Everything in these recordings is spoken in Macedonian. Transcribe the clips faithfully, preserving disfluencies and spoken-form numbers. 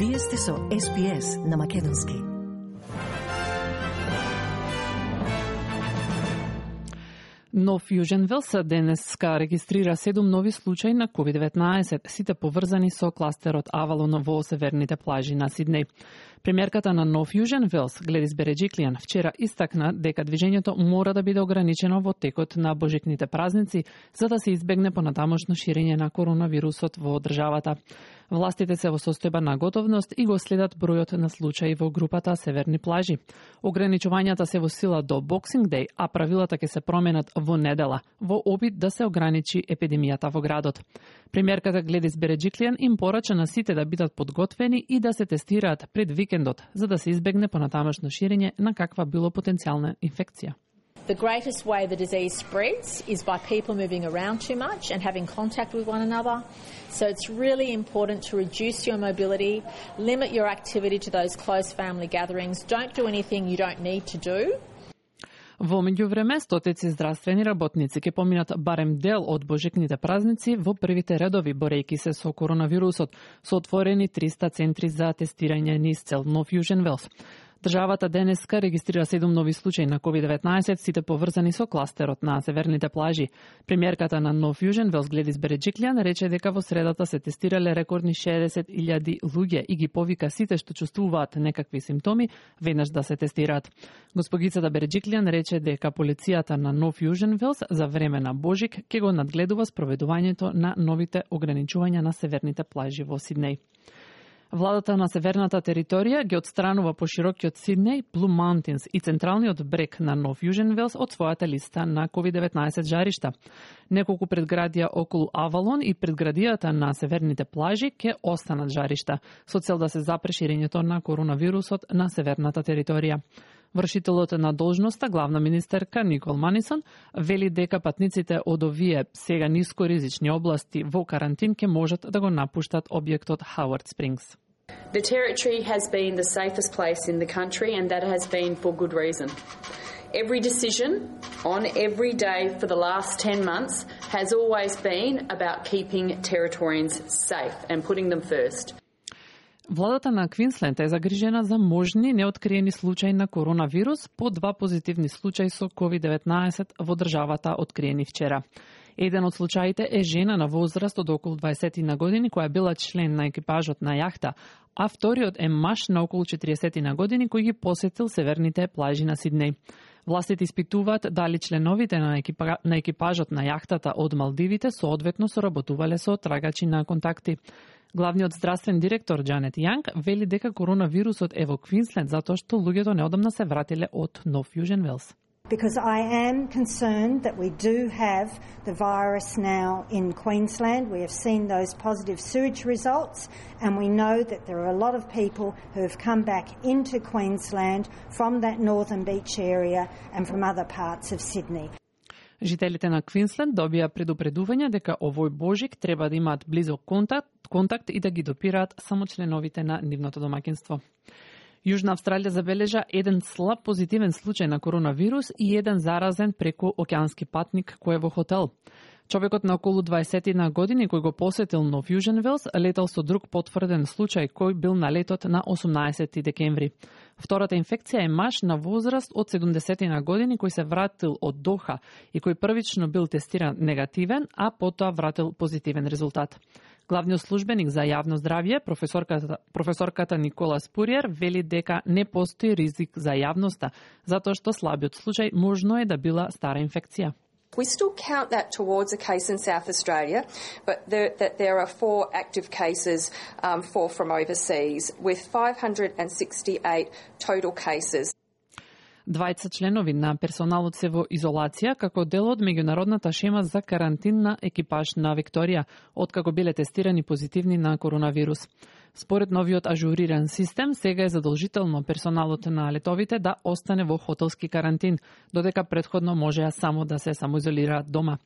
Вие сте со Ес Би Ес на Македонски. Нов Јужен Велс денеска регистрира седум нови случаи на ковид деветнаесет, сите поврзани со кластерот Авалон во северните плажи на Сиднеј. Премиерката на Нов Јужен Велс, Гледис Береджиклијан, вчера истакна дека движењето мора да биде ограничено во текот на божикните празници, за да се избегне понатамошно ширење на коронавирусот во државата. Властите се во состојба на готовност и го следат бројот на случаи во групата Северни плажи. Ограничувањата се во сила до Боксинг Деј, а правилата ќе се променат во недела, во обид да се ограничи епидемијата во градот. Премиерката Гледис Береджиклијан им порача на сите да бидат подготвени и да се тестираат пред викендот, за да се избегне понатамошно ширење на каква било потенцијална инфекција. The greatest way the disease spreads is by people moving around too much and having contact with one another. So it's really important to reduce your mobility, limit your activity to those close family gatherings. Don't do anything you don't need to do. Во меѓувреме, стотици здравствени работници ќе поминат барем дел од божикните празници во првите редови борејки се со коронавирусот, со отворени триста центри за тестирање низ цел Нов Јужен Велс. Државата денеска регистрира седум нови случаи на ковид деветнаесет, сите поврзани со кластерот на северните плажи. Премиерката на Нов Јужен Велс, Гледис Береджиклијан, рече дека во средата се тестирале рекордни шеесет илјади луѓе и ги повика сите што чувствуваат некакви симптоми веднаш да се тестираат. Госпогицата Береджиклијан рече дека полицијата на Нов Јужен Велс за време на Божик ќе го надгледува спроведувањето на новите ограничувања на северните плажи во Сиднеј. Владата на северната територија ги отстранува поширокиот Сиднеј, Блу Маунтинс и централниот брег на Нов Јужен Велс од својата листа на ковид деветнаесет жаришта. Неколку предградија околу Авалон и предградијата на северните плажи ќе останат жаришта, со цел да се запре ширењето на коронавирусот на северната територија. Вршителот на должноста, главна министерка Никол Манисон, вели дека патниците од овие сега нискоризични области во карантин ќе можат да го напуштат објектот Хауард Спрингс. The territory has been the safest place in the country, and that has been for good reason. Every decision on every day for the last ten months has always been about keeping Territorians safe and putting them first. Владата на Квинсленд е загрижена за можни неоткриени случаи на коронавирус по два позитивни случаи со ковид деветнаесет во државата откриени вчера. Еден од случаите е жена на возраст од околу дваесет на години која била член на екипажот на јахта, а вториот е маж на околу четириесет на години кој ги посетил северните плажи на Сиднеј. Властите испитуваат дали членовите на, екипа, на екипажот на јахтата од Малдивите соодветно соработувале со трагачи на контакти. Главниот здравствен директор Џанет Јанг вели дека коронавирусот е во Квинсленд затоа што луѓето неодамна се вратиле од Нов Јужен Велс. Because I am concerned that we do have the virus now in Queensland. We have seen those positive sewage results, and we know that there are a lot of people who have come back into Queensland from that northern beach area and from other parts of Sydney. Жителите на Квинсленд добија предупредување дека овој Божик треба да имаат близок контакт, контакт и да ги допираат само членовите на нивното домаќинство. Јужна Австралија забележа еден слаб позитивен случај на коронавирус и еден заразен преку океански патник кој е во хотел. Човекот на околу дваесет на години кој го посетил Нов Јужен Велс летал со друг потврден случај кој бил на летот на осумнаесети декември. Втората инфекција е маж на возраст од седумдесет на години кој се вратил од Доха и кој првично бил тестиран негативен, а потоа вратил позитивен резултат. Главниот службеник за јавно здравје, професорката, професорката Никола Спуриер, вели дека не постои ризик за јавноста, затоа што слабиот случај можно е да била стара инфекција. We still count that towards a case in South Australia, but there, that there are four active cases, um, four from overseas, with five hundred sixty-eight total cases. Двајца членови на персоналот се во изолација како дел од меѓународната шема за карантин на екипаж на Викторија, откако биле тестирани позитивни на коронавирус. Според новиот ажуриран систем, сега е задолжително персоналот на летовите да остане во хотелски карантин, додека претходно можеа само да се самоизолираат дома.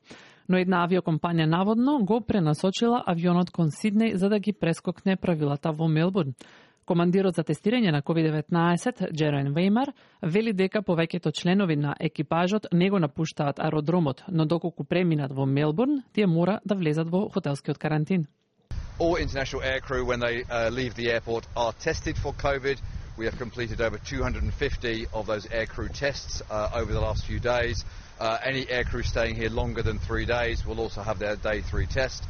Но една авиокомпанија наводно го пренасочила авионот кон Сиднеј за да ги прескокне правилата во Мелбурн. Командирот за тестирање на ковид деветнаесет, Джерен Веймар, вели дека повеќето членови на екипажот не го напуштаат аеродромот, но доколку преминат во Мелбурн, тие мора да влезат во хотелскиот карантин. All international aircrew, when they uh, leave the airport, are tested for COVID. We have completed over two hundred fifty of those aircrew tests uh, over the last few days. Uh, any aircrew staying here longer than three days will also have their day three test.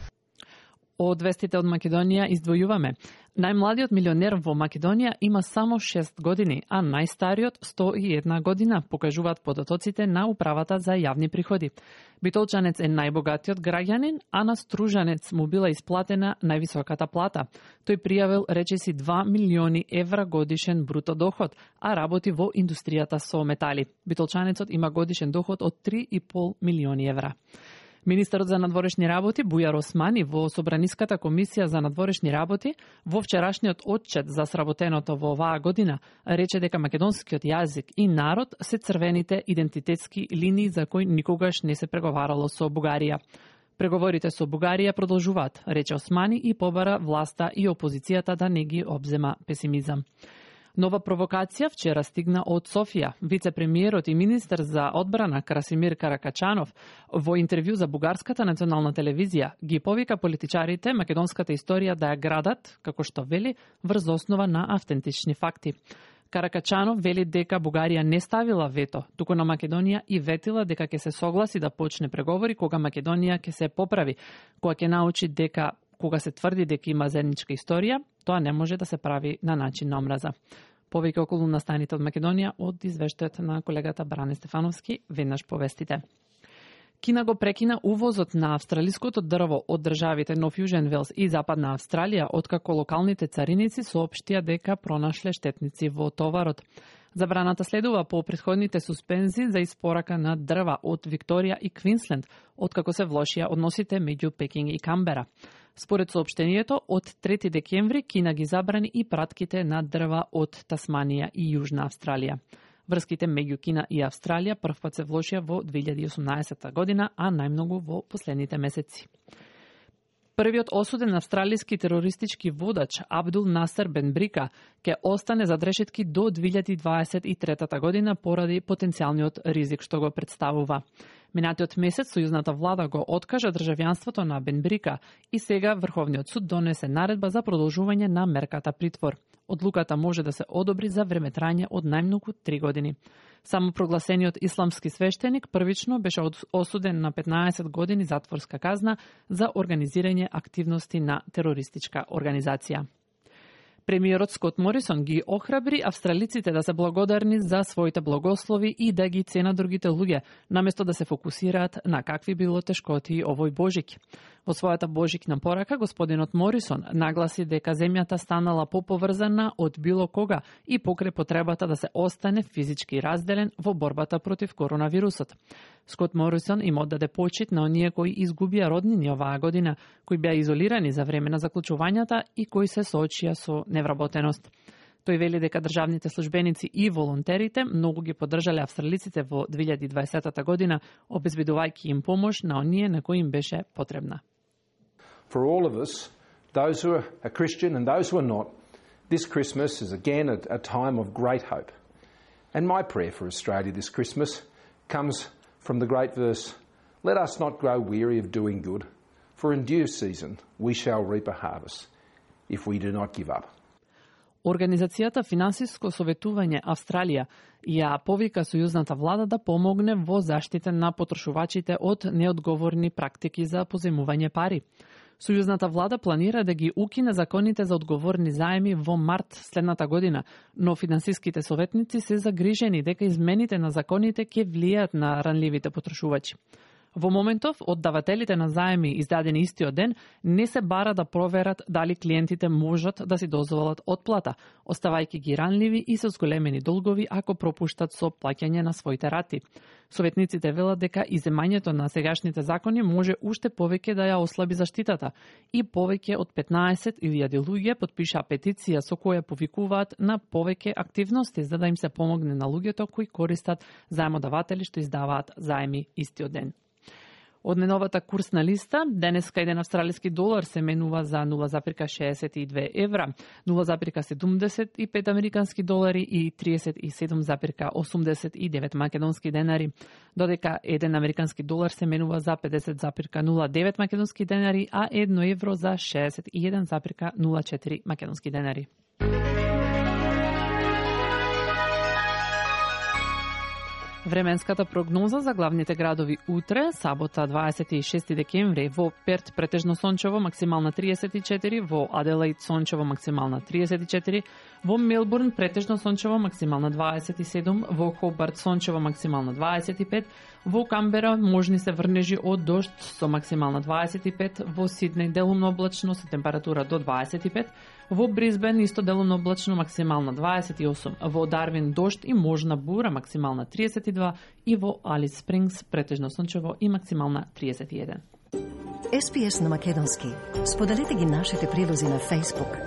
Од вестите од Македонија издвојуваме. Најмладиот милионер во Македонија има само шест години, а најстариот сто и една година, покажуваат податоците на Управата за јавни приходи. Битолчанец е најбогатиот граѓанин, а на Стружанец му била исплатена највисоката плата. Тој пријавил речиси два милиони евра годишен бруто доход, а работи во индустријата со метали. Битолчанецот има годишен доход од три и пол милиони евра. Министерот за надворешни работи Бујар Османи во Собраниската комисија за надворешни работи во вчерашниот отчет за сработеното во оваа година рече дека македонскиот јазик и народ се црвените идентитетски линии за кои никогаш не се преговарало со Бугарија. Преговорите со Бугарија продолжуваат, рече Османи, и побара власта и опозицијата да не ги обзема песимизам. Нова провокација вчера стигна од Софија. Вице-премиерот и министер за одбрана Красимир Каракачанов во интервју за Бугарската национална телевизија ги повика политичарите македонската историја да ја градат, како што вели, врз основа на автентични факти. Каракачанов вели дека Бугарија не ставила вето, туку на Македонија и ветила дека ќе се согласи да почне преговори кога Македонија ќе се поправи, кога ќе научи дека кога се тврди дека има заедничка историја, тоа не може да се прави на начин на омраза. Повеќе околу настаните од Македонија од извештајот на колегата Бране Стефановски, веднаш повестите. Кина го прекина увозот на австралиското дрво од државите Нов Јужен Велс и Западна Австралија, откако локалните цариници соопштија дека пронашле штетници во товарот. Забраната следува по претходните суспензии за испорака на дрва од Викторија и Квинсленд, откако се влошија односите меѓу Пекинг и Камбера. Според соопштението, од трети декември Кина ги забрани и пратките на дрва од Тасманија и Јужна Австралија. Врските меѓу Кина и Австралија првпат се влошија во две илјади и осумнаесета година, а најмногу во последните месеци. Првиот осуден австралиски терористички водач Абдул Насер Бен Брика ќе остане за решетки до две илјади дваесет и трета година поради потенцијалниот ризик што го представува. Минатиот месец сојузната влада го откажа државјанството на Бен Брика и сега Врховниот суд донесе наредба за продолжување на мерката притвор. Одлуката може да се одобри за времетрање од најмногу три години. Само прогласениот исламски свештеник првично беше осуден на петнаесет години затворска казна за организирање активности на терористичка организација. Премиерот Скот Морисон ги охрабри австралиците да се благодарни за своите благослови и да ги ценат другите луѓе, наместо да се фокусираат на какви било тешкоти овој Божик. Во својата божикна порака, господинот Морисон нагласи дека земјата станала поповрзана од било кога и покрај потребата да се остане физички разделен во борбата против коронавирусот. Скот Морисон им оддаде почит на оние кои изгубија роднини оваа година, кои беа изолирани за време на заклучувањата и кои се соочија со невработеност. Тој вели дека државните службеници и волонтерите многу ги поддржале австралиците во две илјади дваесета година, обезбедувајќи им помош на оние на кои им беше потребна. For all of us, those who are Christian and those who are not, this Christmas is again a, a time of great hope. And my prayer for Australia this Christmas comes from the great verse, "Let us not grow weary of doing good, for in due season we shall reap a harvest, if we do not give up." Организацијата Финансиско советување Австралија ја повика сојузната влада да помогне во заштита на потрошувачите од неодговорни практики за позајмување пари. Сојузната влада планира да ги укине законите за одговорни заеми во март следната година, но финансиските советници се загрижени дека измените на законите ќе влијаат на ранливите потрошувачи. Во моментов, од давателите на заеми издадени истиот ден, не се бара да проверат дали клиентите можат да си дозволат отплата, оставајќи ги ранливи и со зголемени долгови ако пропуштат со плаќање на своите рати. Советниците велат дека иземањето на сегашните закони може уште повеќе да ја ослаби заштитата и повеќе од петнаесет илјади луѓе потпишаа петиција со која повикуваат на повеќе активности за да им се помогне на луѓето кои користат заемодаватели што издаваат заеми истиот ден. Од неновата курсна листа, денеска еден австралиски долар се менува за нула запирка шеесет и две евра, нула запирка седумдесет и пет американски долари и триесет и седум запирка осумдесет и девет македонски денари, додека еден американски долар се менува за педесет запирка нула девет македонски денари, а едно евро за шеесет и еден запирка нула четири македонски денари. Временската прогноза за главните градови утре, сабота дваесет и шести декември, во Перт претежно сончево, максимална триесет и четири, во Аделаид сончево, максимална триесет и четири, во Мелбурн претежно сончево, максимална дваесет и седум, во Хобарт сончево, максимална дваесет и пет, во Камбера можни се врнежи од дожд со максимална дваесет и пет, во Сиднеј делумно облачно со температура до дваесет и пет, во Брисбен исто делумно облачно, максимална дваесет и осум, во Дарвин дожд и можна бура, максимална триесет и два, и во Алис Спрингс претежно сончево и максимална триесет и еден. Ес Би Ес на македонски. Споделете ги нашите прилози на Facebook,